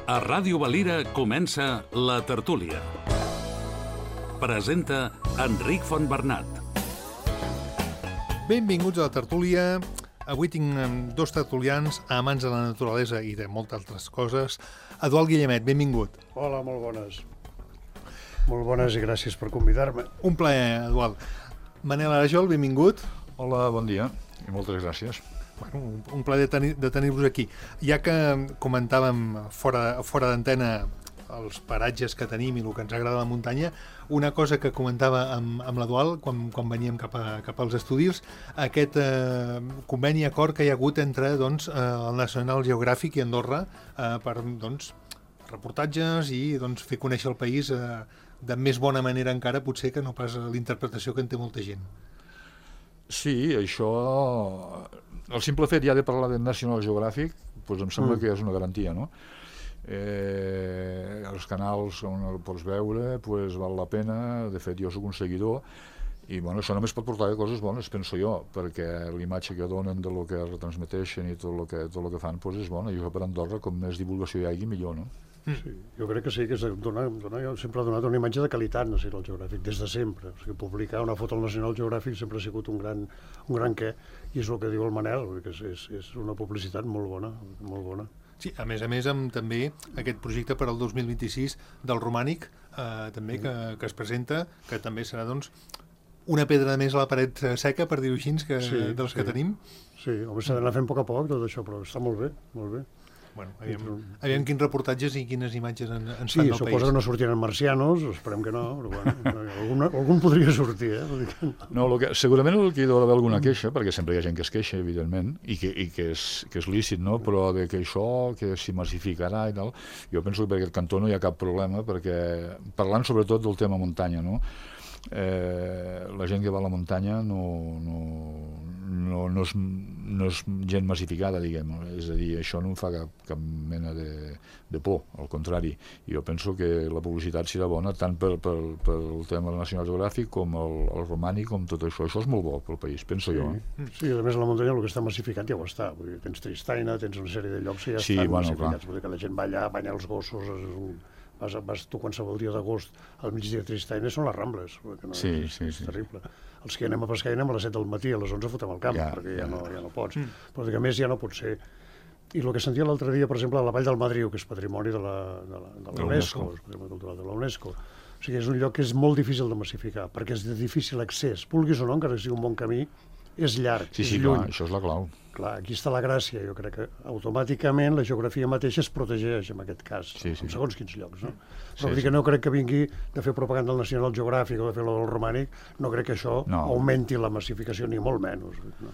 A Ràdio Valira comença La Tertúlia. Presenta Enric Fontbernat. Benvinguts a La Tertúlia. Avui tinc dos tertulians amants de la naturalesa i de moltes altres coses. Eduard Guillemet, benvingut. Hola, molt bones. Molt bones i gràcies per convidar-me. Un plaer, Eduard. Manel Arajol, benvingut. Hola, bon dia i moltes gràcies. Bueno, un plaer de tenir-vos aquí. Ja que comentàvem fora d'antena els paratges que tenim i el que ens agrada a la muntanya, una cosa que comentava amb l'Eduard quan veníem cap als estudis, aquest conveni acord que hi ha hagut entre el National Geographic i Andorra per reportatges i fer conèixer el país de més bona manera encara potser que no pas l'interpretació que en té molta gent. Sí, això... El simple fet ja de parlar de National Geographic doncs em sembla que és una garantia, no? Els canals on el pots veure val la pena. De fet, jo soc un seguidor i això només pot portar coses bones, penso jo, perquè l'imatge que donen de lo que retransmeteixen i tot el que fan és bona. Jo per Andorra, com més divulgació hi hagi, millor, no? Sí, jo crec que sí, que sempre ha donat una imatge de qualitat National Geographic, des de sempre. O sigui, publicar una foto al National Geographic sempre ha sigut un gran què, i és el que diu el Manel, que és una publicitat molt bona, molt bona. Sí, a més amb també aquest projecte per al 2026 del Romànic, també que es presenta, que també serà una pedra més a la paret seca, per dir-ho així, dels que tenim. Sí, home, s'ha d'anar fent a poc tot això, però està molt bé, molt bé. Bueno, aviam quins reportatges i quines imatges ens fan del país. Sí, suposo que no sortiran marcianos, esperem que no, però bueno, algun podria sortir, No, segurament el que hi deu haver alguna queixa, perquè sempre hi ha gent que es queixa, evidentment, i que és lícit, no? Però de que això, que s'hi massificarà i tal, jo penso que per aquest cantó no hi ha cap problema, perquè parlant sobretot del tema muntanya, no? La gent que va a la muntanya no és gent massificada, diguem. És a dir, això no em fa cap mena de por, al contrari. Jo penso que la publicitat serà bona tant pel tema del National Geographic com el romànic, com tot això. Això és molt bo pel país, penso jo. Sí, a més la muntanya el que està massificat ja ho està. Tens Tristaina, tens una sèrie de llocs que ja estan massificats. Vull dir que la gent va allà, banya els gossos, vas tu qualsevol dia d'agost al migdia de Tristaina són les Rambles. Sí. És terrible. Els que anem a pescar anem a les 7 del matí, a les 11 fotem al camp, perquè ja no pots. Però a més ja no pot ser. I el que sentia l'altre dia, per exemple, a la Vall del Madriu, que és patrimoni de la UNESCO, és patrimoni cultural de la UNESCO. O sigui, és un lloc que és molt difícil de massificar, perquè és de difícil accés. Vulguis o no, encara que sigui un bon camí, és llarg, és lluny. Clar, això és la clau. Clar, aquí està la gràcia. Jo crec que automàticament la geografia mateixa es protegeix, en aquest cas, en segons quins llocs, no? Però vull dir que no crec que vingui de fer propaganda al National Geographic o de fer el romànic, no crec que això augmenti la massificació, ni molt menys. No?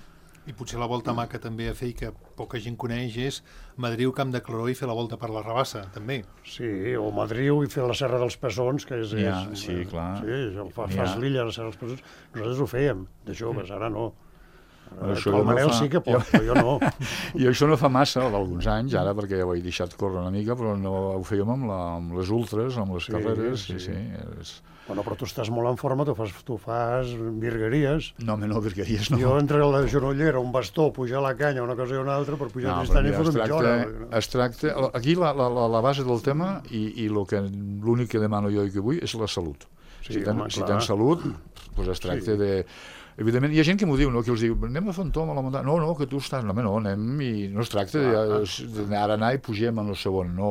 I potser la volta mà que també a fer i que poca gent coneix és Madriu, Camp de Claró i fer la volta per la Rabassa, també. Sí, o Madriu i fer la Serra dels Pessons, que és... Sí, clar. Sí, fas l'illa, la Serra dels Pessons. Nosaltres ho fèiem, de joves, ara no. El Manel sí que pot, però jo no. I això no fa massa, d'alguns anys, ara, perquè ja ho he deixat córrer una mica, però no ho fèiem amb les ultres, amb les carreres. Bueno, però tu estàs molt en forma, tu fas virgueries. No, virgueries no. Jo entre la genollera, un bastó, pujar la canya, una cosa i una altra, per pujar a Tristanya i fer una mitja hora. Es tracta... Aquí la base del tema i l'únic que demano jo i que vull és la salut. Si tens salut, doncs es tracta de... Evidentment, hi ha gent que m'ho diu, no? Que els diu, anem a fer un tom a la muntanya. No, que tu estàs... No, anem i no es tracta d'anar i pugem en el segon. No,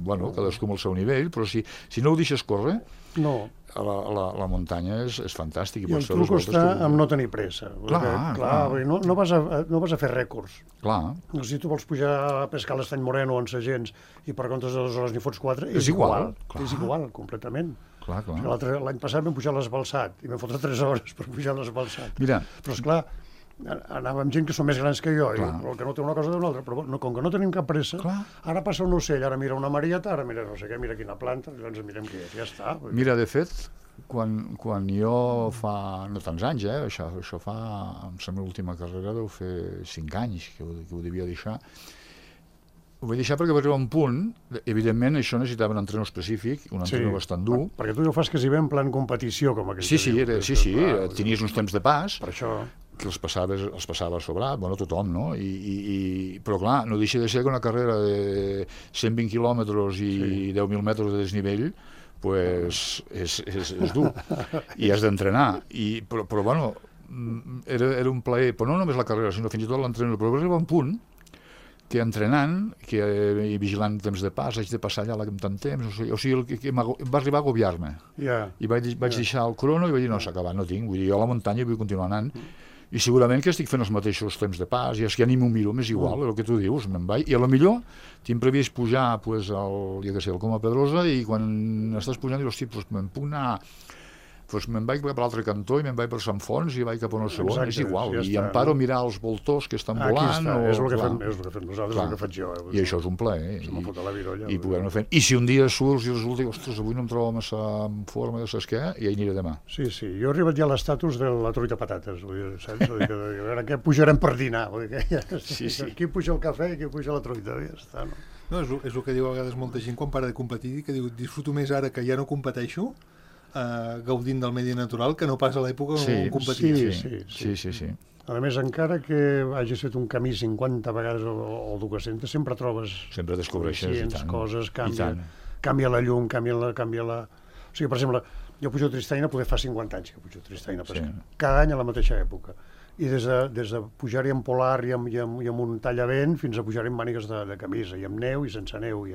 bueno, cadascú amb el seu nivell, però si no ho deixes córrer, la muntanya és fantàstic. I el truc està en no tenir pressa. Clar. No vas a fer rècords. Clar. Si tu vols pujar a pescar a l'Estany Moreno en Sagents i per comptes de 2 hores n'hi fots 4, és igual. És igual, completament. L'any passat vam pujar a l'Esbalsat i vam fotre 3 hores per pujar a l'Esbalsat. Mira. Però esclar, anava amb gent que són més grans que jo, el que no té una cosa d'una altra, però com que no tenim cap pressa, ara passa un ocell, ara mira una marieta, ara mira no sé què, mira quina planta, llavors mirem què és, ja està. Mira, de fet, quan jo fa no tants anys, això fa, em sembla l'última carrera deu fer 5 anys que ho devia deixar. Ho vaig deixar perquè va arribar un punt, evidentment això necessitava un entrenador específic, un entrenador bastant dur. Perquè tu ja ho fas quasi bé en plan competició, com aquell. Sí, tenies uns temps de pas. Per això. que els passava a sobrat, bueno, tothom, no? Però clar, no deixa de ser que una carrera de 120 quilòmetres i 10.000 metres de desnivell pues és dur i has d'entrenar, però bueno, era un plaer, però no només la carrera, sinó fins i tot l'entrenament, però va arribar un punt que entrenant i vigilant temps de pas, haig de passar allà amb tant temps, o sigui que va arribar a agobiar-me. I vaig deixar el crono i vaig dir, no, s'ha acabat, no tinc, vull dir, jo a la muntanya vull continuar anant, i segurament que estic fent els mateixos temps de pas, i és que ja ni m'ho miro, m'és igual, el que tu dius, me'n vaig, i a lo millor tinc previst pujar pues, el Coma Pedrosa, i quan estàs pujant dius, hosti, pues, me'n puc anar, pues me'n vaig per l'altre cantó i me'n vaig per Sant Fons i vaig cap a un segon, és igual, i em paro a mirar els voltors que estan volant. És el que fem nosaltres, el que faig jo. I això és un plaer, se m'ha fotut la virolla. I poder-ne fer. I si un dia surts i resulta que, ostres, avui no em trobo massa en forma de saps què, i hi aniré demà. Sí, jo he arribat ja a l'estatus de la truita patates, saps? A veure què pujarem per dinar. Aquí puja el cafè i aquí puja la truita, ja està, no? No, és el que diu a vegades molta gent quan para de competir, que diu, disfruto més ara que ja no competeixo, gaudint del medi natural, que no pas a l'època on competia. Sí. A més, encara que hagis fet un camí 50 vegades o 200, sempre trobes... Sempre descobreixes, i tant. Coses, canvia la llum, canvia la... O sigui, per exemple, jo pujo a Tristaina, poder fa 50 anys que pujo a Tristaina, cada any a la mateixa època. I des de pujar-hi amb polar i amb un tallavent fins a pujar-hi amb mànigues de camisa, i amb neu i sense neu,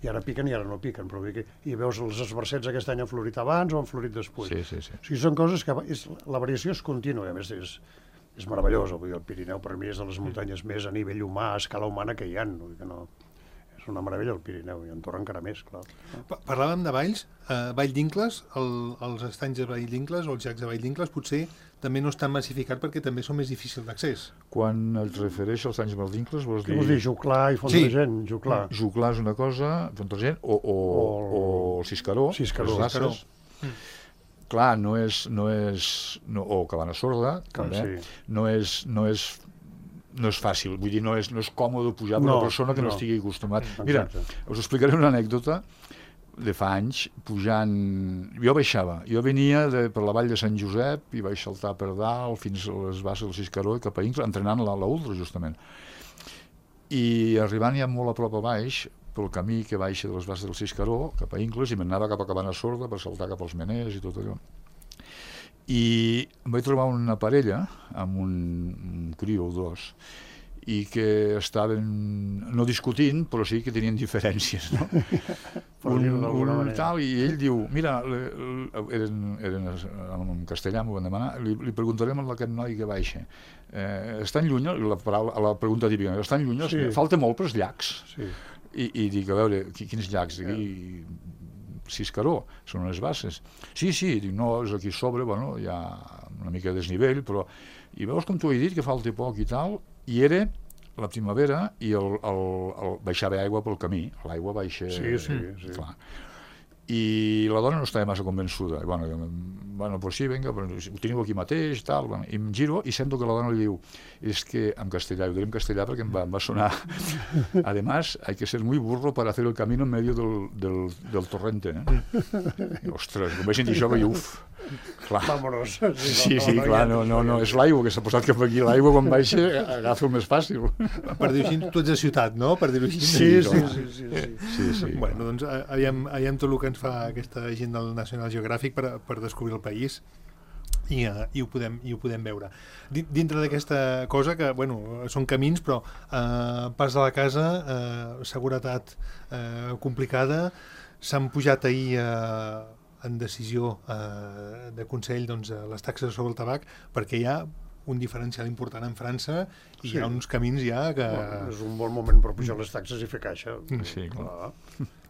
i ara piquen i ara no piquen, però i veus els esbarcets aquest any han florit abans o han florit després. Sí. O sigui, són coses que la variació és contínua, i a més és meravellosa. Vull dir, el Pirineu per mi és de les muntanyes més a nivell humà, a escala humana que hi ha. És una meravella el Pirineu, i Andorra encara més, clar. Parlàvem de valls, Vall d'Incles, els estanys de Vall d'Incles o els llacs de Vall d'Incles potser també no estan massificats perquè també són més difícils d'accés. Quan et refereix als estanys de Vall d'Incles vols dir... Què vols dir, Juclar i Font de Gent? Juclar és una cosa, Font de Gent, o Ciscaró. Clar, no és o Cabana Sorda, també, no és fàcil, vull dir, no és còmode pujar per una persona que no estigui acostumat. Mira, us explicaré una anècdota de fa anys, pujant... Jo venia per la vall de Sant Josep i vaig saltar per dalt fins a les bases del Ciscaró i cap a Incles, entrenant l'ultra, justament. I arribant ja molt a prop a baix, pel camí que baixa de les bases del Ciscaró, cap a Incles, i m'anava cap a Cabana Sorda per saltar cap als Meners i tot allò. I em vaig trobar una parella amb un criu o dos i que estaven no discutint, però sí que tenien diferències, no? I ell diu, mira, eren en castellà, m'ho van demanar, li preguntarem a aquest noi que baixa, estan lluny, la pregunta típica, estan lluny, falta molt pels llacs. I dic, a veure, quins llacs? Aquí Ciscaró, són unes bases. Sí, dic, no, és aquí sobre, bueno, hi ha una mica de desnivell, però... I veus com t'ho he dit, que falta poc i tal, i era la primavera i baixava aigua pel camí, l'aigua baixa... Sí. Clar. I la dona no estava massa convençuda. Bueno, pues sí, venga, ho teniu aquí mateix, tal. Bueno, i em giro i sento que la dona li diu, és que en castellà, ho diré en castellà perquè em va sonar. Además, hay que ser muy burro para hacer el camino en medio del torrente. I, ostres, com vaig sentir això, vaig uf. Clar. Vámonos. Sí, clar, no, és l'aigua que s'ha posat cap aquí. L'aigua quan baixa agafa el més fàcil. Per dir-ho així, tu ets de ciutat, no? Per dir-ho així. Sí. Bueno, doncs aviam tot el que ens fa aquesta gent del National Geographic per descobrir el país i ho podem veure. Dintre d'aquesta cosa que, bueno, són camins, però pas de la casa, seguretat complicada, s'han pujat ahir en decisió de Consell les taxes sobre el tabac perquè hi ha un diferencial important en França i hi ha uns camins ja que... És un bon moment per pujar les taxes i fer caixa. Sí, clar.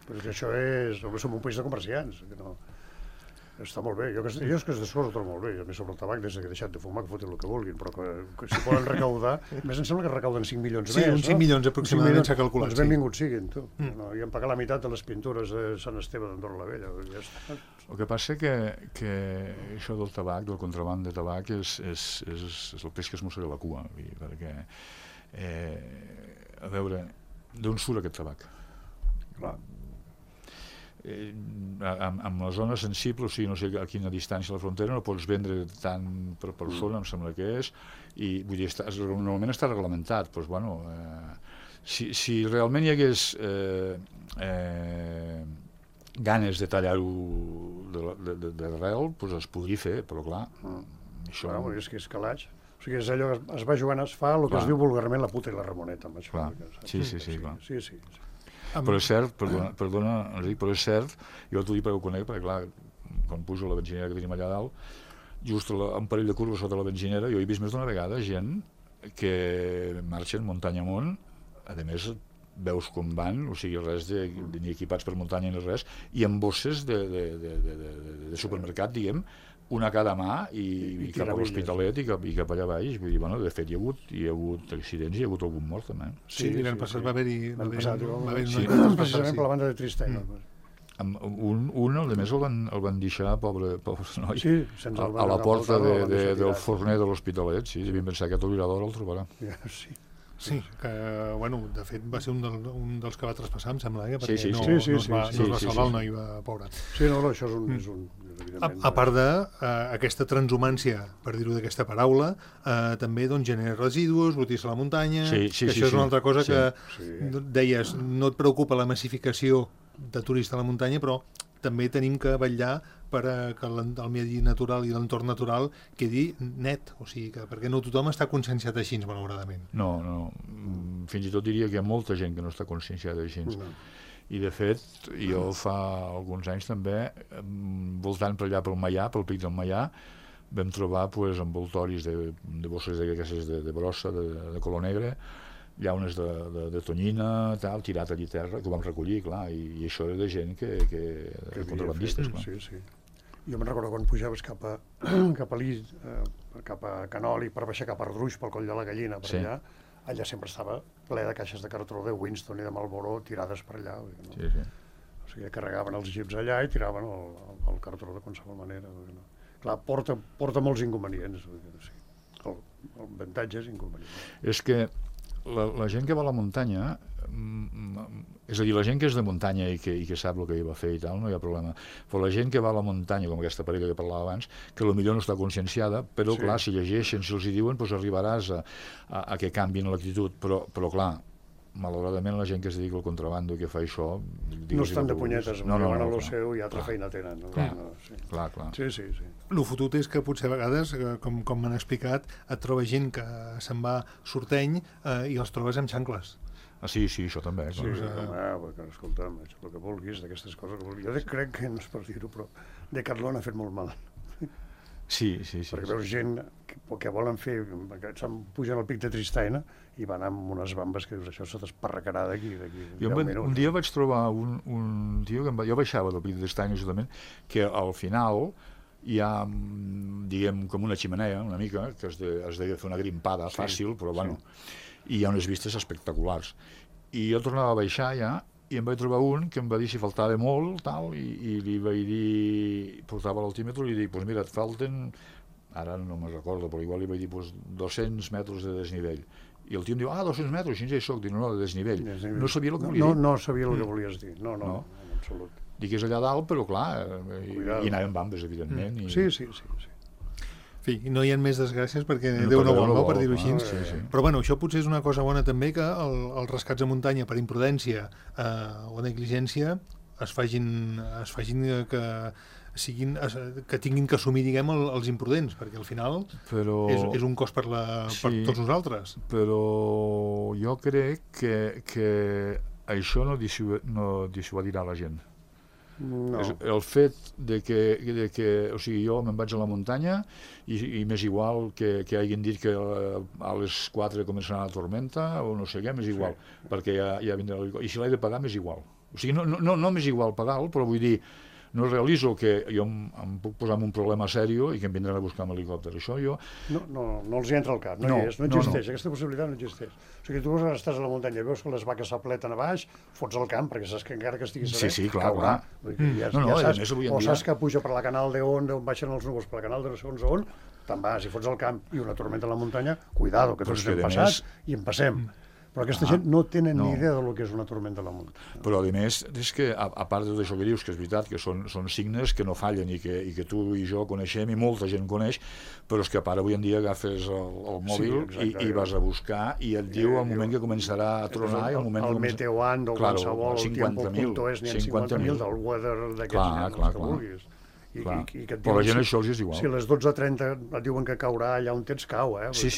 Perquè això som un país de comerciants. Està molt bé. Jo és que es descorro molt bé. A més, sobre el tabac, des que he deixat de fumar, que fotin el que vulguin, però que si poden recaudar... A més, em sembla que recauden 5 milions més, no? Sí, uns 5 milions aproximadament s'ha calculat. Doncs benvinguts siguin, tu. I hem pagat la meitat de les pintures de Sant Esteve d'Andorra la Vella. El que passa que això del tabac, del contraband de tabac, és el peix que es mossega la cua. Perquè, a veure, d'on surt aquest tabac? Clar. amb la zona sensible, o sigui, no sé a quina distància a la frontera, no pots vendre tant per persona, em sembla que és, i vull dir, normalment està reglamentat, doncs, bueno, si realment hi hagués ganes de tallar-ho d'arrel, doncs es podria fer, però clar, això... Clar, és que és calaix. O sigui, és allò que es va jugant, es fa el que es diu vulgarment la puta i la Ramoneta. Amb això, clar. Sí, clar. Sí. Però és cert, perdona, Enric, però és cert, jo t'ho dic perquè ho conec, perquè clar, quan pujo la benzinera que tenim allà dalt, just un parell de curves sota la benzinera, jo he vist més d'una vegada gent que marxen muntanya amunt, a més veus com van, o sigui, res ni equipats per muntanya ni res, i amb bosses de supermercat, diguem, una a cada mà i cap a l'Hospitalet i cap allà baix. Vull dir, bueno, de fet hi ha hagut accidents i hi ha hagut algun mort també. Sí, l'any passat va haver-hi precisament per la banda de Tristany. Un, a més, el van deixar, pobre noi, a la porta del forner de l'Hospitalet. Sí, devien pensar que aquest obrador el trobarà. Sí, que, bueno, de fet va ser un dels que va traspassar, em sembla, perquè sí. no es va salvar el noi, pobre. Sí, no, això és un a part d'aquesta transhumància, per dir-ho d'aquesta paraula, també genera residus, botis a la muntanya, que això és una altra cosa que deies, no et preocupa la massificació de turistes a la muntanya, però també tenim que vetllar que el medi natural i l'entorn natural quedi net, o sigui, perquè no tothom està conscienciat així, malauradament. No, fins i tot diria que hi ha molta gent que no està conscienciada així. I de fet, jo fa alguns anys també, voltant per allà pel Maià, pel pic del Maià, vam trobar envoltoris de bosses de brossa, de color negre, llaunes de tonyina, tirat allà a terra, que ho vam recollir, clar, i això era de gent que contrabandistes, clar. Sí. Jo me'n recordo quan pujaves cap a l'Is, cap a Canoli, per baixar cap a Ardruix, pel Coll de la Gallina, per allà, allà sempre estava ple de caixes de cartró de Winston i de Marlboro tirades per allà. Sí. O sigui, carregaven els jeeps allà i tiraven el cartró de qualsevol manera. Clar, porta molts inconvenients. L'avantatge és inconvenient. És que la gent que va a la muntanya, és a dir, la gent que és de muntanya i que sap el que hi va fer i tal, no hi ha problema, però la gent que va a la muntanya, com aquesta parella que parlava abans, que potser no està conscienciada, però clar, si llegeixen, si els hi diuen, doncs arribaràs a que canvien l'actitud, però clar, malauradament la gent que es dedica al contrabando i que fa això... No estan de punyetes, van a lo seu i altra feina tenen. Clar. Sí. El fotut és que potser a vegades, com m'han explicat, et trobes gent que se'n va sorteny i els trobes amb xancles. Sí, això també. Sí, escolta'm, el que vulguis d'aquestes coses. Jo crec que, no és per dir-ho, però Decathlon ha fet molt mal. Sí. Perquè veus gent que volen fer, se'n pugen al pic de Tristany i van amb unes bambes que dius, això se t'esparracarà d'aquí 10 minuts. Un dia vaig trobar un tio que jo baixava del pic de Tristany, justament, que al final hi ha, diguem, com una ximenea, una mica, que has de fer una grimpada fàcil, però bueno, i hi ha unes vistes espectaculars. I jo tornava a baixar ja, i em vaig trobar un que em va dir si faltava molt, i li vaig dir, portava l'altímetre, i li dic, doncs mira, et falten, ara no me'n recordo, però igual li vaig dir 200 metres de desnivell. I el tio em diu, 200 metres, així ja hi soc. Dic, no, de desnivell. No sabia el que volia dir. No sabia el que volies dir, no, en absolut. Dic, és allà dalt, però clar, i anàvem bambes, evidentment. Sí. En fi, no hi ha més desgràcies perquè Déu no vol, no, per dir-ho així. Sí. Però bueno, això potser és una cosa bona també, que els rescats a muntanya per imprudència o negligència es facin que tinguin que assumir, diguem, els imprudents, perquè al final és un cost per tots nosaltres. Però jo crec que això no dissuadirà la gent. No. El fet de que o sigui, jo me'n vaig a la muntanya i m'és igual que hagin dit que a les 4 començarà la tormenta o no sé què, m'és igual, perquè ja vindrà l'helicòpter, i si l'he de pagar m'és igual. O sigui, no m'és igual pagar-lo, però vull dir, no realitzo que jo em puc posar en un problema sèrio i que em vindran a buscar amb helicòpter. Això jo... No els hi entra al cap, no existeix, aquesta possibilitat no existeix. O sigui, tu estàs a la muntanya i veus que les vaques s'apleten a baix, fots al camp, perquè saps que encara que estiguis a Sí, clar. O saps que puja per la canal d'on baixen els núvols, per la canal de no segons on, te'n vas i fots al camp i una tormenta a la muntanya, cuidado, que tots hem passat i en passem. Però aquesta gent no tenen ni idea del que és una tormenta a la muntanya. Però, a més, és que, a part de tot això que dius, que és veritat, que són signes que no fallen i que tu i jo coneixem i molta gent coneix, però és que a part avui en dia agafes el mòbil i vas a buscar i et diu el moment que començarà a tronar i el moment que... El Meteoand o qualsevol, el Tiempo.es, n'hi ha 50.000 del weather d'aquests nens que vulguis. Però la gent això els és igual. Si a les 12:30 et diuen que caurà allà on tens, cau, Sí.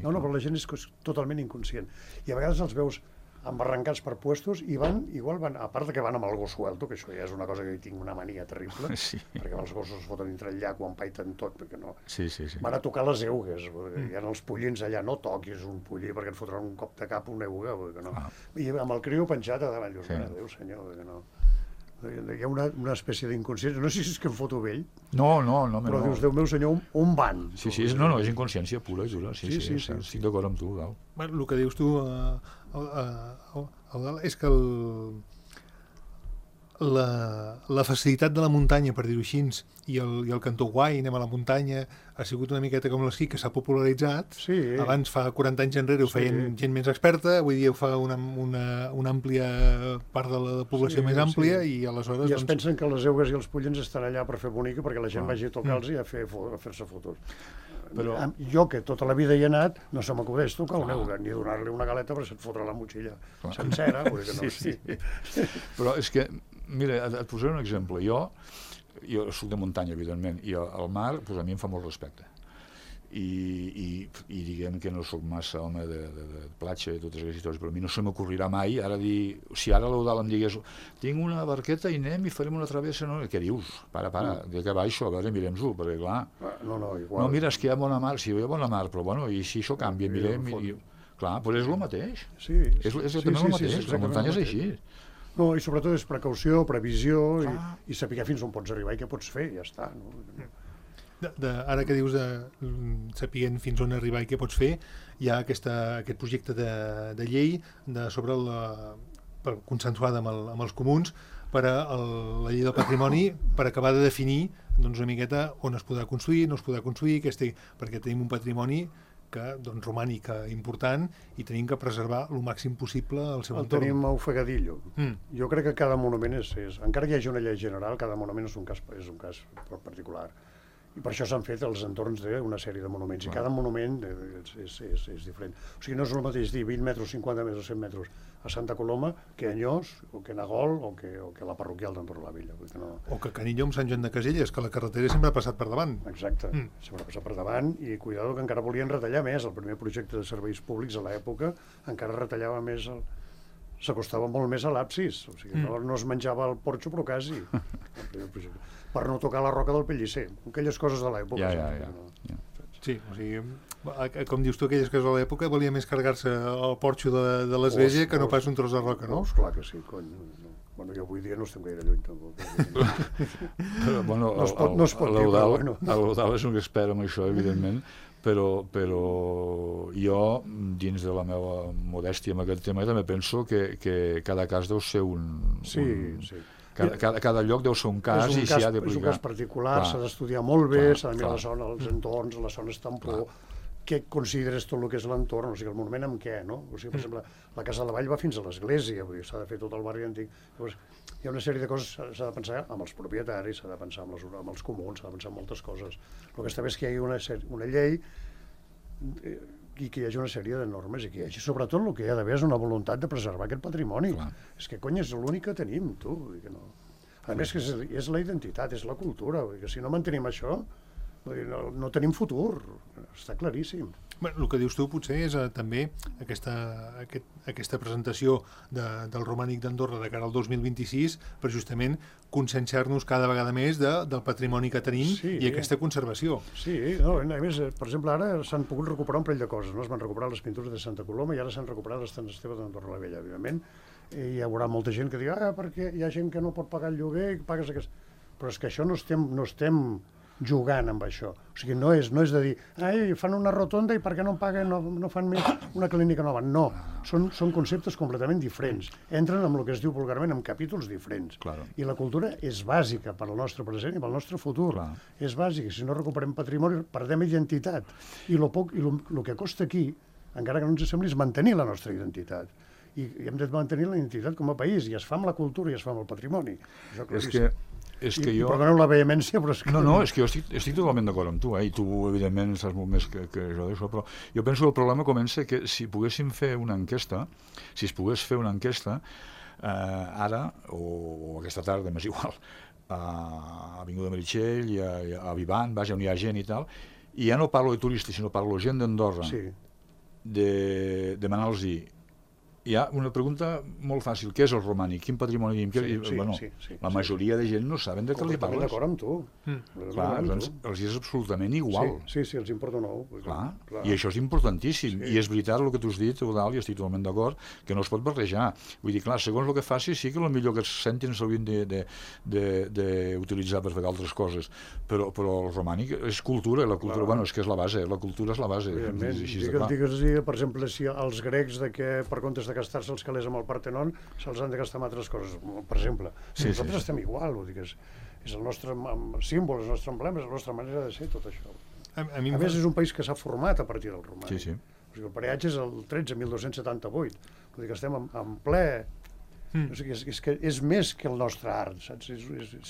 No, però la gent és totalment inconscient. I a vegades els veus embarrancats per puestos i igual van, a part de que van amb el gos suelto, que això ja és una cosa que hi tinc una mania terrible, perquè els gossos es foten dintre el llac o empaiten tot, perquè no... Van a tocar les eugues, hi ha els pollins allà, no toquis un pollí perquè et fotran un cop de cap una euga, perquè no... I amb el criu penjat a davant, dius, adéu senyor, perquè no... Hi ha una espècie d'inconsciència, no sé si és que em foto vell, però dius, Déu meu senyor, on van? Sí, és inconsciència pura i dura, estic d'acord amb tu, Gal. El que dius tu, és que la facilitat de la muntanya, per dir-ho així, i el cantó guai, anem a la muntanya, ha sigut una miqueta com l'esquí, que s'ha popularitzat. Abans, fa 40 anys enrere, ho feien gent més experta, avui dia ho fa una àmplia part de la població més àmplia, i aleshores... I es pensen que les eugues i els pollins estan allà per fer bonica, perquè la gent vagi a tocar-los i a fer-se fotos. Però jo, que tota la vida hi he anat, no se m'acudeix tocar una euga, ni donar-li una galeta perquè se't fotrà la motxilla sencera. Però és que, mira, et posaré un exemple. Jo soc de muntanya, evidentment, i el mar, a mi em fa molt respecte. I diguem que no sóc massa home de platja i totes aquestes històries, però a mi no se m'ocorrirà mai ara dir, si ara l'Eudal em digués tinc una barqueta i anem i farem una travessa, no? Què dius? Para, de què baixo, a veure, mirem-ho, perquè clar... igual. No, mira, és que hi ha bona mar, sí, hi ha bona mar, però bueno, i si això canvia, mirem... Clar, però és el mateix. Sí. És exactament el mateix, la muntanya és així. No, i sobretot és precaució, previsió, i saber fins on pots arribar i què pots fer, ja està. Ara que dius de saber fins on arribar i què pots fer, hi ha aquest projecte de llei consensuada amb els comuns per a la llei del patrimoni, per acabar de definir una miqueta on es podrà construir, no es podrà construir, perquè tenim un patrimoni romànic important i tenim que preservar el màxim possible el seu entorn. El tenim ofegadillo. Jo crec que cada monument encara que hi hagi una llei general, cada monument és un cas particular. I per això s'han fet els entorns d'una sèrie de monuments, i cada monument és diferent. O sigui, no és el mateix dir 20 metres, 50 metres, 100 metres a Santa Coloma que a Anyós, o que a Nagol, o que a la parroquial d'en Torlavella. O que a Canillo amb Sant Joan de Caselles, que la carretera sempre ha passat per davant. Exacte, sempre ha passat per davant, i cuidado que encara volien retallar més. El primer projecte de serveis públics a l'època encara retallava més, s'acostava molt més a l'absis, o sigui, no es menjava el porxo, però quasi. Per no tocar la roca del Pellicer, aquelles coses de l'època. Sí, o sigui, com dius tu, aquelles coses de l'època valia més carregar-se el porxo de l'església que no pas un tros de roca, no? Clar que sí, cony. Bueno, jo avui dia no estem gaire lluny, tampoc. No es pot dir, però bueno. L'Eudal és un expert en això, evidentment, però jo, dins de la meva modèstia en aquest tema, també penso que cada cas deu ser un... Sí. Cada lloc deu ser un cas i s'hi ha d'aplicar. És un cas particular, s'ha d'estudiar molt bé, s'ha de mirar la zona, els entorns, les zones tampó, què consideres tot el que és l'entorn, o sigui, el monument amb què, no? O sigui, per exemple, la Casa de la Vall va fins a l'església, s'ha de fer tot el barri antic. Llavors, hi ha una sèrie de coses, s'ha de pensar amb els propietaris, s'ha de pensar amb els comuns, s'ha de pensar en moltes coses. El que està bé és que hi hagi una llei i que hi hagi una sèrie de normes i que hi hagi, sobretot, el que hi ha d'haver és una voluntat de preservar aquest patrimoni. És que, cony, és l'únic que tenim, tu. A més, que és la identitat, és la cultura. Que si no mantenim això, no tenim futur. Està claríssim. El que dius tu potser és també aquesta presentació del Romànic d'Andorra de cara al 2026 per justament conscienciar-nos cada vegada més del patrimoni que tenim i aquesta conservació. Sí, a més, per exemple, ara s'han pogut recuperar un parell de coses. Es van recuperar les pintures de Santa Coloma i ara s'han recuperat les Sant Esteve d'Andorra la Vella, evidentment. Hi haurà molta gent que digui perquè hi ha gent que no pot pagar el lloguer i pagues aquest... Però és que això no estem jugant amb això. O sigui, no és de dir fan una rotonda i per què no paguen, no fan més una clínica nova. No, són conceptes completament diferents. Entren amb el que es diu vulgarment en capítols diferents. I la cultura és bàsica per al nostre present i pel nostre futur. És bàsica. Si no recuperem patrimoni, perdem identitat. I el que costa aquí, encara que no ens sembli, és mantenir la nostra identitat. I hem de mantenir la identitat com a país, i es fa amb la cultura i es fa amb el patrimoni. És que jo... Perdoneu la vehemència, però és que... No, és que jo estic totalment d'acord amb tu, i tu, evidentment, saps molt més que jo d'això, però jo penso que el problema comença que si poguéssim fer una enquesta, si es pogués fer una enquesta, ara, o aquesta tarda, m'és igual, a Avinguda Meritxell, a Vivant, vaja, on hi ha gent i tal, i ja no parlo de turistes, sinó parlo de gent d'Andorra, de demanar-los hi ha una pregunta molt fàcil. Què és el romànic? Quin patrimoni tenim? La majoria de gent no saben de què li parles. D'acord amb tu. Clar, els és absolutament igual. Sí, els importa un ou. Clar, i això és importantíssim. I és veritat el que tu has dit, Eudald, i estic totalment d'acord, que no es pot barrejar. Vull dir, clar, segons el que faci, sí que potser que es sentin s'haurien d'utilitzar per fer altres coses. Però el romànic és cultura, i la cultura, bueno, és que és la base, la cultura és la base. Digues, per exemple, si els grecs que per comptes de gastar-se els calés amb el Partenon se'ls han de gastar amb altres coses, per exemple. Nosaltres estem igual, vull dir que és el nostre símbol, és el nostre emblema, és la nostra manera de ser, tot això. A més, és un país que s'ha format a partir del romànic. Sí. El peatge és el 13.1278, vull dir que estem en ple... És més que el nostre art, saps?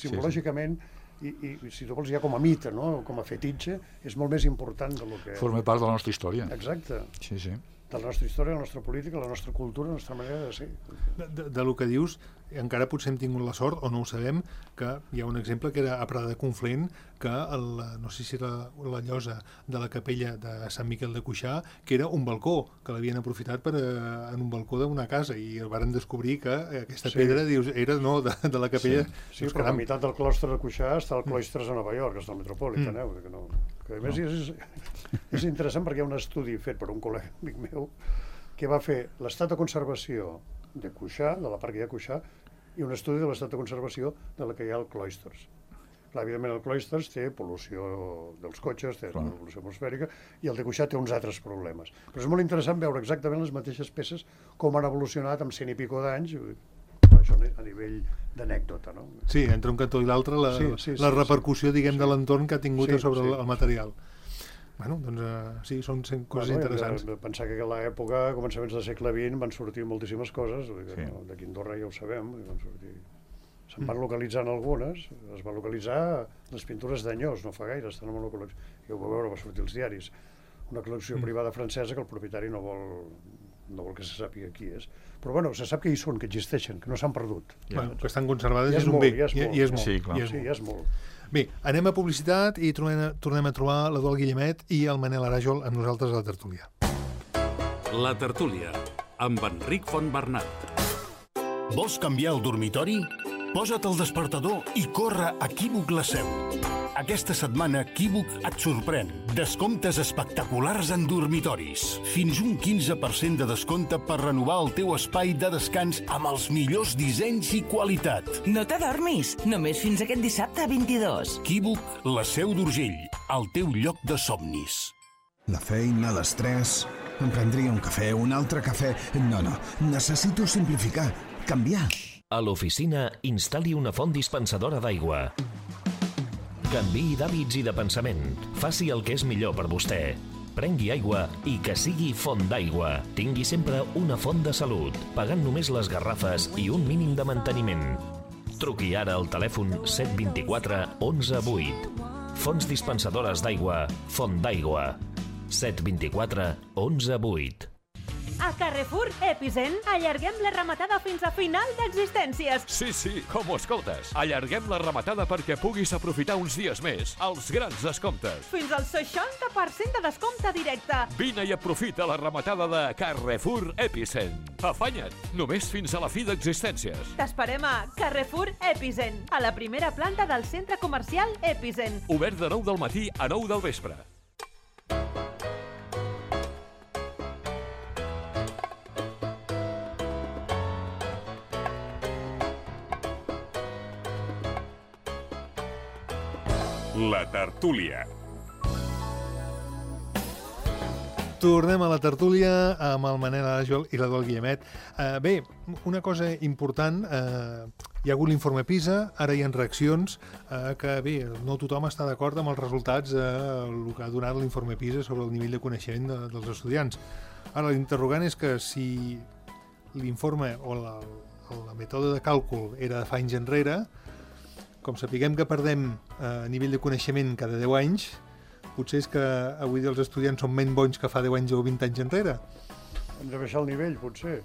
Simbològicament, i si tu vols ja com a mite, com a fetitxe, és molt més important del que... Forma part de la nostra història. Exacte. Sí. De la nostra història, la nostra política, la nostra cultura, la nostra manera de ser. Del que dius, encara potser hem tingut la sort, o no ho sabem, que hi ha un exemple que era a Prada de Conflent, que no sé si era la llosa de la capella de Sant Miquel de Cuixà, que era un balcó, que l'havien aprofitat en un balcó d'una casa, i varen descobrir que aquesta pedra era de la capella. Sí, però la meitat del clostre de Cuixà està al Cloistres a Nova York, que és el Metropolitan, que a més és interessant perquè hi ha un estudi fet per un col·lega amic meu que va fer l'estat de conservació de Cuixà, de la part que hi ha a Cuixà, i un estudi de l'estat de conservació de la que hi ha al Cloisters. Clar, evidentment el Cloisters té pol·lució dels cotxes, té pol·lució atmosfèrica, i el de Cuixà té uns altres problemes. Però és molt interessant veure exactament les mateixes peces com han evolucionat amb 100 i pico d'anys, això a nivell d'anècdota, no? Sí, entre un cantó i l'altre, la repercussió, diguem, de l'entorn que ha tingut sobre el material. Bueno, doncs sí, són coses interessants. Pensar que a l'època, a començaments del segle XX, van sortir moltíssimes coses, d'aquí a Andorra ja ho sabem, se'n van localitzant algunes, es van localitzar les pintures d'Anyós, no fa gaire, estan en una col·lecció, ja ho vau veure, va sortir als diaris, una col·lecció privada francesa que el propietari no vol que se sàpiga qui és. Però bueno, se sap que hi són, que existeixen, que no s'han perdut. Que estan conservades és un bé, i és molt. Sí, ja és molt. Bé, anem a publicitat i tornem a trobar l'Eduald Guillemet i el Manel Aràjol amb nosaltres a la tertúlia. La tertúlia, amb Enric Fontbernat. Vols canviar el dormitori? Posa't el despertador i corre a Equívoc La Seu. Aquesta setmana Equívoc et sorprèn. Descomptes espectaculars en dormitoris. Fins un 15% de descompte per renovar el teu espai de descans amb els millors dissenys i qualitat. No t'adormis, només fins aquest dissabte 22. Equívoc La Seu d'Urgell, el teu lloc de somnis. La feina, l'estrès... Em prendria un cafè, un altre cafè... No, necessito simplificar, canviar. A l'oficina, instal·li una font dispensadora d'aigua. Canviï d'hàbits i de pensament. Faci el que és millor per vostè. Prengui aigua i que sigui font d'aigua. Tingui sempre una font de salut, pagant només les garrafes i un mínim de manteniment. Truqui ara al telèfon 724 11 8. Fonts dispensadores d'aigua, Font d'Aigua. 724 11 8. A Carrefour Epicent allarguem la rematada fins a final d'existències. Sí, com ho escoltes. Allarguem la rematada perquè puguis aprofitar uns dies més els grans descomptes. Fins al 60% de descompte directe. Vine i aprofita la rematada de Carrefour Epicent. Afanya't, només fins a la fi d'existències. T'esperem a Carrefour Epicent, a la primera planta del centre comercial Epicent. Obert de 9 del matí a 9 del vespre. La tertúlia. Tornem a la tertúlia amb el Manel Arajol i l'Eduard Guillemet. Bé, una cosa important, hi ha hagut l'informe PISA, ara hi ha reaccions, que bé, no tothom està d'acord amb els resultats el que ha donat l'informe PISA sobre el nivell de coneixement dels estudiants. Ara, l'interrogant és que si l'informe o la mètode de càlcul era de fa anys enrere, com sapiguem que perdem nivell de coneixement cada 10 anys, potser és que avui els estudiants són menys bons que fa 10 anys o 20 anys enrere. Hem de baixar el nivell, potser.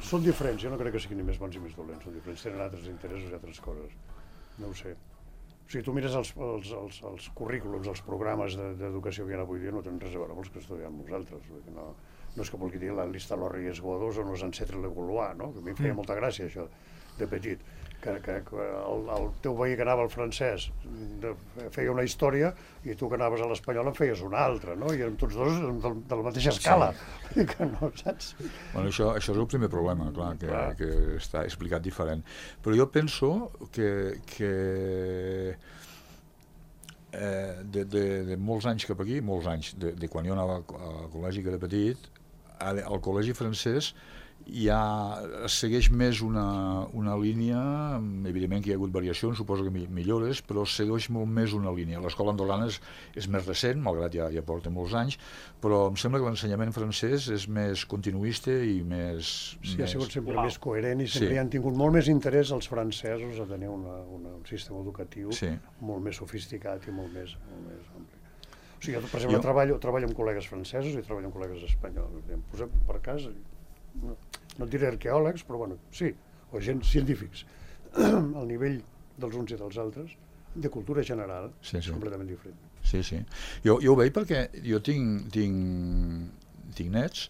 Són diferents, jo no crec que siguin ni més bons ni més dolents, són diferents, tenen altres interessos i altres coses. No ho sé. O sigui, tu mires els currículums, els programes d'educació que hi ha avui dia, no tenen res a veure amb els que estudiem nosaltres. No és que vulgui dir la Lista Lorries Godos o los Ancêtres Le Gaulois, no? Que a mi em feia molta gràcia, això, de petit. Que el teu veí que anava al francès feia una història i tu que anaves a l'espanyol en feies una altra, no? I érem tots dos de la mateixa escala. Sí. Que no, saps? Bueno, això és el primer problema, clar, que està explicat diferent. Però jo penso que de molts anys cap aquí, molts anys, de quan jo anava al col·legi que era petit, al col·legi francès ja segueix més una línia, evidentment que hi ha hagut variacions, suposo que millores, però segueix molt més una línia. L'escola andorrana és més recent, malgrat ja porta molts anys, però em sembla que l'ensenyament francès és més continuista i més... Sí, ha sigut sempre més coherent i sempre han tingut molt més interès els francesos a tenir un sistema educatiu molt més sofisticat i molt més ampli. O sigui, jo, per exemple, treballo amb col·legues francesos i treballo amb col·legues espanyols. Em posem per casa... No et diré arqueòlegs, però bueno, sí, o gent científics. El nivell dels uns i dels altres, de cultura general, és completament diferent. Sí. Jo ho veig perquè jo tinc nets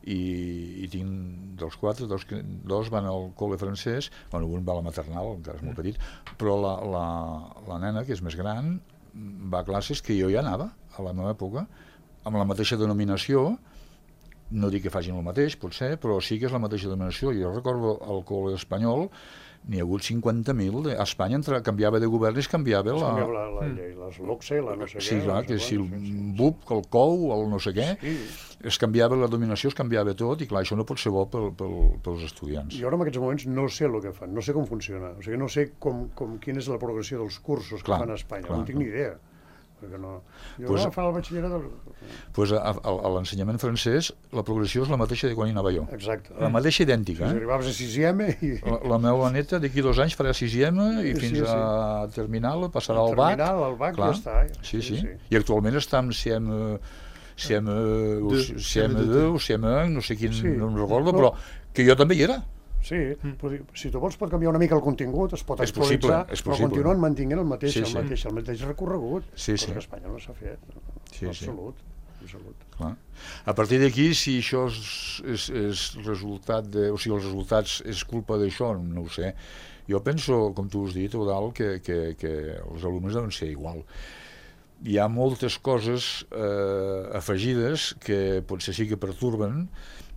i tinc dels 4, dos van al col·le francès, bueno, un va a la maternal, encara és molt petit, però la nena, que és més gran, va a classes que jo ja anava a la meva època, amb la mateixa denominació. No dic que facin el mateix, potser, però sí que és la mateixa denominació. Jo recordo al col·le espanyol, n'hi ha hagut 50.000. A Espanya canviava de govern i es canviava la llei, les LOCSE, la no sé què. Sí, clar, que si el BUP, el COU, el no sé què, es canviava la dominació, es canviava tot, i clar, això no pot ser bo pels estudiants. Jo ara en aquests moments no sé el que fan, no sé com funciona, o sigui, no sé quina és la progressió dels cursos que fan a Espanya, no tinc ni idea. Jo agafant el batxillerat... A l'ensenyament francès la progressió és la mateixa de quan hi anava jo. Exacte. La mateixa idèntica. Si arribaves a 6ème... La meva neta d'aquí 2 anys farà 6ème i fins a terminal passarà al BAC. Al BAC ja està. Sí. I actualment està amb CM2 o CM1, no sé quin, no em recordo, però que jo també hi era. Sí, si tu vols pot canviar una mica el contingut, es pot actualitzar, però continuen mantenint el mateix recorregut, però que a Espanya no s'ha fet, absolut. A partir d'aquí, si això és resultat o sigui, els resultats és culpa d'això, no ho sé. Jo penso, com tu has dit, Eudald, que els alumnes deuen ser igual. Hi ha moltes coses afegides que potser sí que pertorben,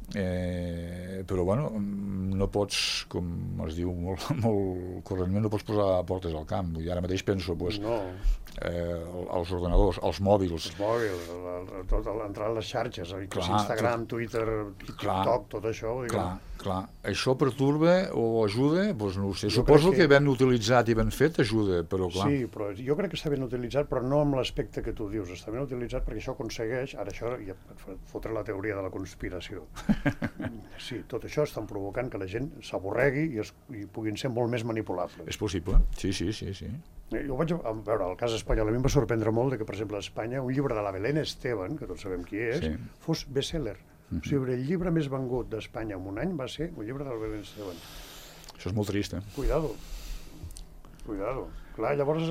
però bueno, no pots, com es diu molt correntment, no pots posar portes al camp. I ara mateix penso els ordenadors, els mòbils, entrar a les xarxes, Instagram, Twitter, TikTok, tot això. Clar, això perturba o ajuda, doncs no ho sé, suposo que ben utilitzat i ben fet ajuda, però clar. Sí, però jo crec que està ben utilitzat, però no amb l'aspecte que tu dius, està ben utilitzat perquè això aconsegueix, ara això ja fotre la teoria de la conspiració. Sí, tot això estan provocant que la gent s'avorregui i puguin ser molt més manipulables. És possible, sí. Jo vaig veure, el cas espanyol, a mi em va sorprendre molt que, per exemple, a Espanya, un llibre de la Belén Esteban, que tots sabem qui és, fos best-seller. O sigui, el llibre més vengut d'Espanya en un any va ser un llibre de la Belén Esteban. Això és molt trist, Cuidado. Clar, llavors,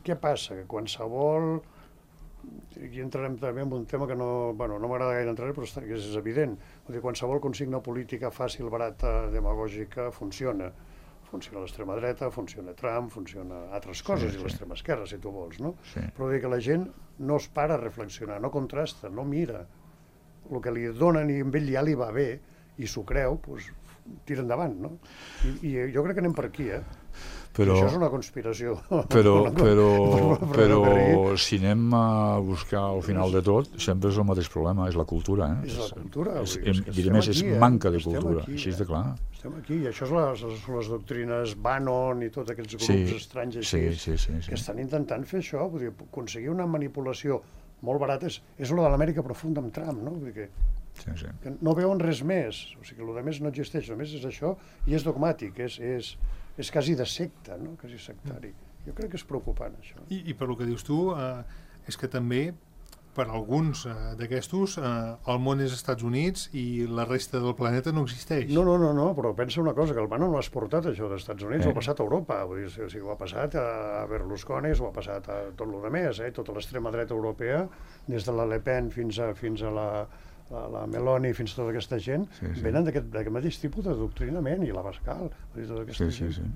què passa? Que qualsevol... Aquí entrarem també en un tema que no m'agrada gaire entrar, però és evident. Qualsevol consigna política fàcil, barata, demagògica, funciona. Funciona l'extrema dreta, funciona Trump, funciona altres coses, i l'extrema esquerra, si tu vols, no? Però que la gent no es para a reflexionar, no contrasta, no mira. El que li donen i amb ell ja li va bé, i s'ho creu, doncs tira endavant, no? I jo crec que anem per aquí, Però, això és una conspiració. Però si anem a buscar al final de tot, sempre és el mateix problema, és la cultura. És la cultura. Diré més, és manca de cultura, així és de clar. Estem aquí, i això són les doctrines Bannon i tots aquests grups estranys així, que estan intentant fer això, vull dir, aconseguir una manipulació molt barata, és lo de l'Amèrica profunda amb Trump, no? Vull dir que no veuen res més, o sigui, el més no existeix, només és això, i és dogmàtic, és quasi de secta, no? Quasi sectari. Jo crec que és preocupant, això. I per lo que dius tu, és que també, per alguns d'aquestos, el món és Estats Units i la resta del planeta no existeix. No, però pensa una cosa, que el Bannon no l'ha exportat, això dels Estats Units, ho ha passat a Europa, vull dir, o sigui, ho ha passat a Berlusconi, ho ha passat a tot el més, tota l'extrema dreta europea, des de la Le Pen fins a la Meloni, fins a tota aquesta gent, venen d'aquest mateix tipus de doctrinament, i la Bascal, tota aquesta gent.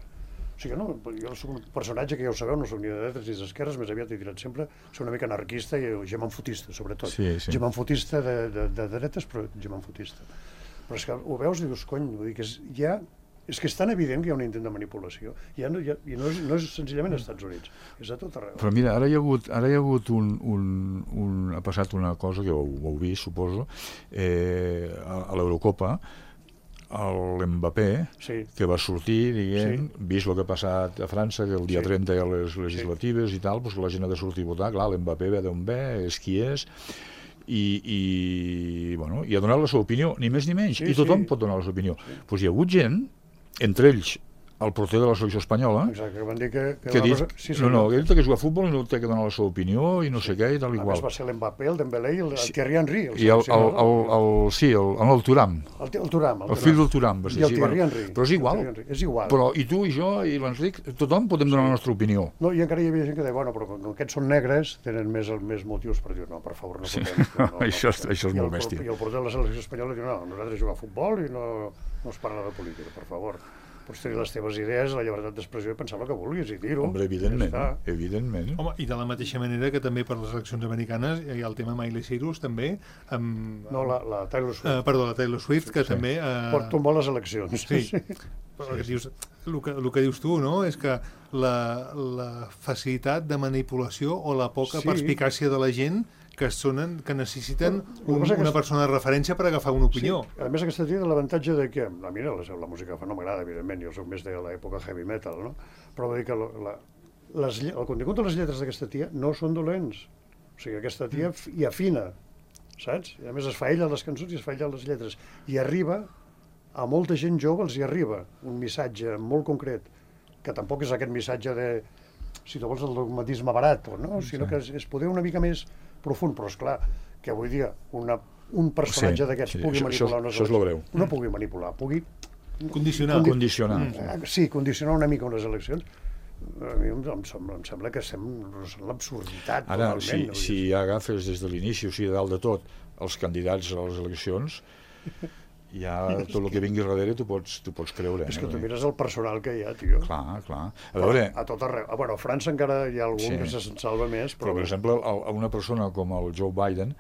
O sigui, no, jo soc un personatge que ja ho sabeu, no soc ni de dretes ni d'esquerres, més aviat he tirat sempre, soc una mica anarquista i gemanfotista, sobretot. Gemanfotista de dretes, però gemanfotista. Però és que ho veus i dius, cony, vull dir que és que és tan evident que hi ha un intent de manipulació, i no és senzillament als Estats Units, és a tot arreu. Però mira, ara hi ha hagut ha passat una cosa que ho heu vist, suposo, a l'Eurocopa, l'Mbappé, que va sortir, diguem, vist el que ha passat a França, que el dia 30 hi ha les legislatives i tal, doncs la gent ha de sortir a votar, clar, l'Mbappé ve d'on ve, és qui és, i ha donat la seva opinió, ni més ni menys, i tothom pot donar la seva opinió. Doncs hi ha hagut gent, entre ells el porter de la selecció espanyola, que van dir que ha dit que ha jugat a futbol i no té que donar la seva opinió i no sé què i tal i qual. A més va ser l'Mbappé, el Dembélé i el Thierry Henry. I el Thuram. El fill del Thuram. I el Thierry Henry. Però és igual. Però i tu i jo i l'Enric, tothom podem donar la nostra opinió. No, i encara hi havia gent que deia, bueno, però com aquests són negres, tenen més motius per dir, no, per favor, no podem. Això és molt bèstia. I el porter de la selecció espanyola diu, no, nosaltres jugar a futbol i no es parla de política, per favor. Pots tenir les teves idees, la llibertat d'expressió i pensar el que vulguis i dir-ho. Home, evidentment. Home, i de la mateixa manera que també per les eleccions americanes hi ha el tema Miley Cyrus, també, amb... No, la Taylor Swift. Perdó, la Taylor Swift, que també... Pot tombar les eleccions. Sí. El que dius tu, no?, és que la facilitat de manipulació o la poca perspicàcia de la gent que necessiten una persona de referència per agafar una opinió. A més, aquesta té l'avantatge de que, a mi la música no m'agrada, evidentment, jo soc més de l'època heavy metal, no? Però vull dir que el contingut de les lletres d'aquesta tia no són dolents. O sigui, aquesta tia hi afina, saps? I a més es fa ella les cançons i es fa ella les lletres. I arriba, a molta gent jove els hi arriba un missatge molt concret, que tampoc és aquest missatge de, si tu vols, el dogmatisme barat, no? Sinó que és poder una mica més profund, però esclar, que avui dia un personatge d'aquests pugui manipular unes eleccions. No pugui manipular, pugui... Condicionar. Sí, condicionar una mica unes eleccions. A mi em sembla que estem en l'absurditat. Ara, si agafes des de l'inici, o sigui, dalt de tot, els candidats a les eleccions, ja tot el que vingui darrere t'ho pots creure. És que tu mires el personal que hi ha, tio. Clar. A veure... A tot arreu. Bueno, a França encara hi ha algun que se'n salva més, però per exemple, a una persona com el Joe Biden,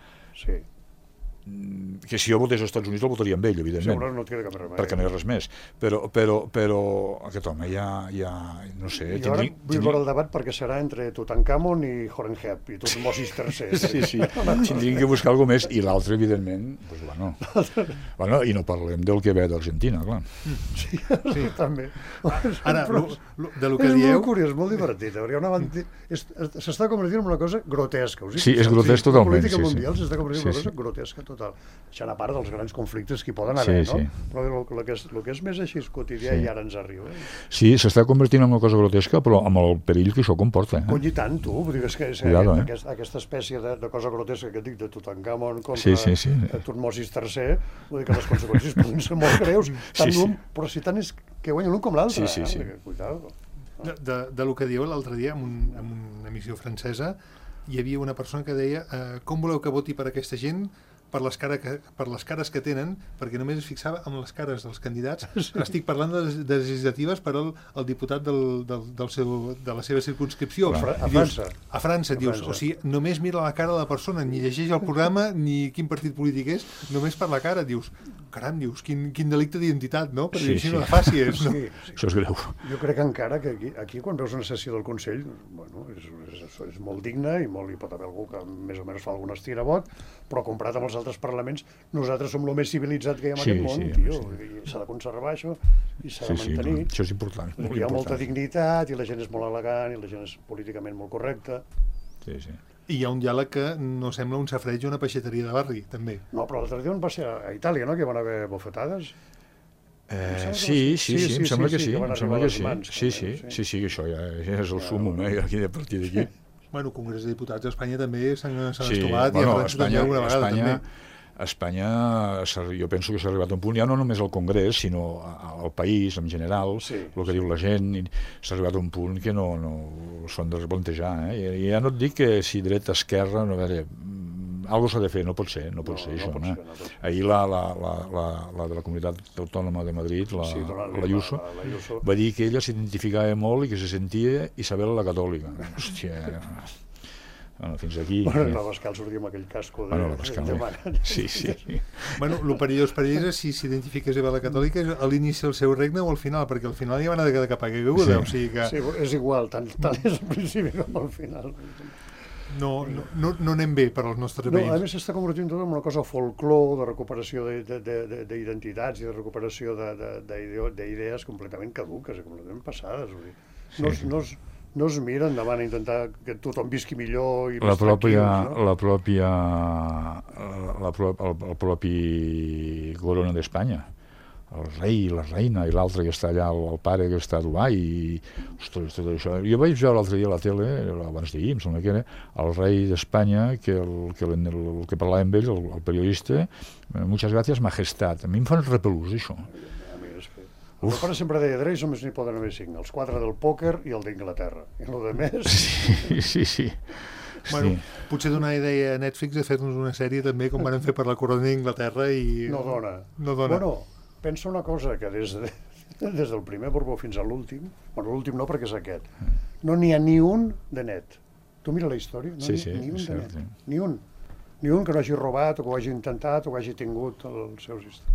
que si jo votés als Estats Units el votaria amb ell, evidentment. Segurament no et queda cap remei. Perquè no hi ha res més. Però aquest home ja no sé... Jo ara vull veure el debat perquè serà entre Tutankamon i Horemheb i Tutmosis III. Sí. Tindríem que buscar alguna més. I l'altre, evidentment, bueno, i no parlem del que ve d'Argentina, clar. Sí, també. Ara, de lo que dieu... És molt curiós, molt divertit, perquè s'està convertint en una cosa grotesca. Sí, és grotesc totalment. La política mundial s'està convertint en una cosa grotesca total. Deixant a part dels grans conflictes que hi poden haver, no? Però el que és més així quotidià i ara ens arriba. Sí, s'està convertint en una cosa grotesca, però amb el perill que això comporta. Cony, i tant, tu. Vull dir, és que aquesta espècie de cosa grotesca que et dic de Tutankamon contra Tutmosis III, vull dir que les conseqüències poden ser molt greus, però si tant és que guanya l'un com l'altre. Cuidado. De lo que dieu l'altre dia, en una emissió francesa, hi havia una persona que deia com voleu que voti per aquesta gent per les cares que tenen, perquè només es fixava en les cares dels candidats. Estic parlant de legislatives per al diputat de la seva circumscripció. A França. A França, dius. O sigui, només mira la cara de la persona, ni llegeix el programa, ni quin partit polític és, només per la cara. Dius, caram, quin delicte d'identitat, no? Perquè així no la facis. No? Això és greu. Jo crec encara que aquí quan veus una sessió del Consell, bueno, és molt digne i hi pot haver algú que més o menys fa algun estirabot, però comparat amb els altres parlaments, nosaltres som el més civilitzat que hi ha en aquest món, tio. I s'ha de conservar això i s'ha de mantenir. Això és important. Hi ha molta dignitat i la gent és molt elegant i la gent és políticament molt correcta. Sí. I hi ha un diàleg que no sembla un safareig o una peixateria de barri, també. No, però l'altre dia on va ser a Itàlia, no?, que hi van haver bofetades. Sí, em sembla que sí. Sí, que això ja és el súmmum, aquí a partir d'aquí. Bueno, el Congrés de Diputats d'Espanya també s'han estolat i han Espanya, una vegada també. Espanya, jo penso que s'ha arribat a un punt, ja no només al Congrés, sinó al país en general, el que diu la gent, s'ha arribat a un punt que no s'ho han de replantejar. I ja no et dic que si dreta, esquerra, no, a veure, algo s'ha de fer, no pot ser això. Ahir la de la Comunitat Autònoma de Madrid, l'Ayuso, va dir que ella s'identificava molt i que se sentia Isabel la Catòlica. Hòstia... Bueno, fins aquí... Bueno, la Pascal sortia amb aquell casco de... Bueno, la Pascal, sí. Bueno, el perillós per ells és si s'identifica Isabel la Catòlica a l'inici del seu regne o al final, perquè al final ja van haver de cap a caiguda, o sigui que... Sí, és igual, tant és al principi com al final. No anem bé per als nostres veïns. A més s'està convertint tot en una cosa folclor, de recuperació d'identitats i de recuperació d'idees completament caduques, completament passades. No es mira endavant a intentar que tothom visqui millor i més tranquils, el propi corona d'Espanya, el rei i la reina i l'altre que està allà, el pare que està a Dubai ostres, tot això. Jo vaig veure l'altre dia a la tele, abans d'ahir, em sembla que era el rei d'Espanya, que parlava amb ell, el periodista, muchas gracias, majestat. A mi em fan repelús, això. El pare sempre deia, Drey només n'hi poden haver 5, els 4 del pòquer i el d'Inglaterra. I el de més... Sí. Bueno, potser donar idea a Netflix de fer-nos una sèrie també, com van fer per la corona d'Inglaterra i... No dona. Bueno, pensa una cosa, que des del primer Borbó fins a l'últim, bueno, l'últim no perquè és aquest, no n'hi ha ni un de net. Tu mira la història, no ni un de net. Ni un que no hagi robat o que ho hagi intentat o que hagi tingut els seus històries.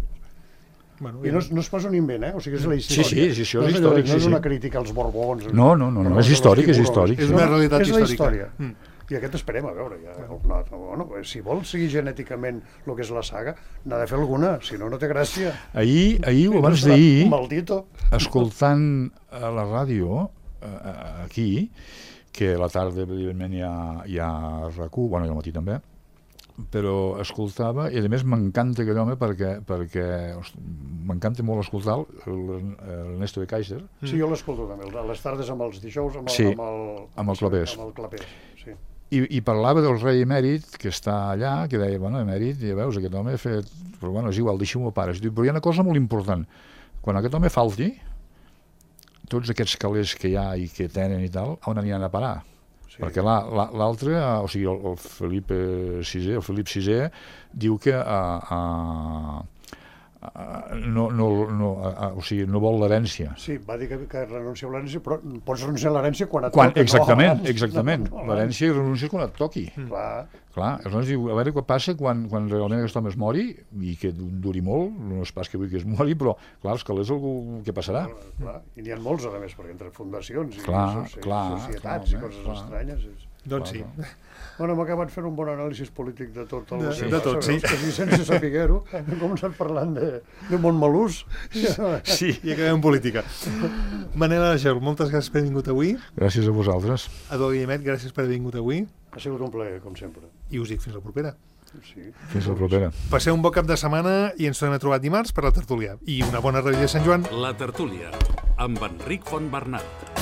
I no es posa un invent, o sigui, és la història. Sí, això és històric. No és una crítica als Borbons. No, és històric, és històric. És una realitat històrica. És la història. I aquest esperem a veure. Si vol seguir genèticament el que és la saga, n'ha de fer alguna, si no, no té gràcia. Ahir o abans d'ahir, maldito, escoltant a la ràdio, aquí, que a la tarda, evidentment, hi ha RAC1, bueno, i al matí també, però escoltava, i a més m'encanta aquell home perquè m'encanta molt escoltar l'Ernesto de Kaiser. Sí, jo l'escolto també, a les tardes amb els dijous amb el Clapés. Sí. I parlava del rei emèrit que està allà, que deia, bueno, emèrit, ja veus, aquest home ha fet... Però bueno, és igual, deixi-m'ho a pares. Però hi ha una cosa molt important. Quan aquest home falti, tots aquests calés que hi ha i que tenen i tal, on aniran a parar? Perquè l'altre, o sigui, el Felip VI diu que no vol l'herència. Sí, va dir que renuncia a l'herència, però pots renunciar a l'herència quan et toqui. Exactament. L'herència i renuncies quan et toqui. Clar, aleshores diu, a veure què passa quan realment aquest home es mori, i que duri molt, no és pas que vull que es mori, però clar, els calés algú que passarà. I n'hi ha molts, a més, perquè entre fundacions i societats i coses estranyes... Doncs sí. Bueno, hem acabat fent un bon anàlisi polític de tot el que de tot, sí. Quasi sense saber-ho. Hem començat parlant de Montmelús. Sí, i acabem en política. Manel Argel, moltes gràcies per haver vingut avui. Gràcies a vosaltres. Eduard Guillemet, gràcies per haver vingut avui. Ha sigut un plaer, com sempre. I us dic fins la propera. Sí. Fins la propera. Passeu un bon cap de setmana i ens tornem a trobar dimarts per la tertúlia. I una bona revetlla de Sant Joan. La tertúlia, amb Enric Fontbernat.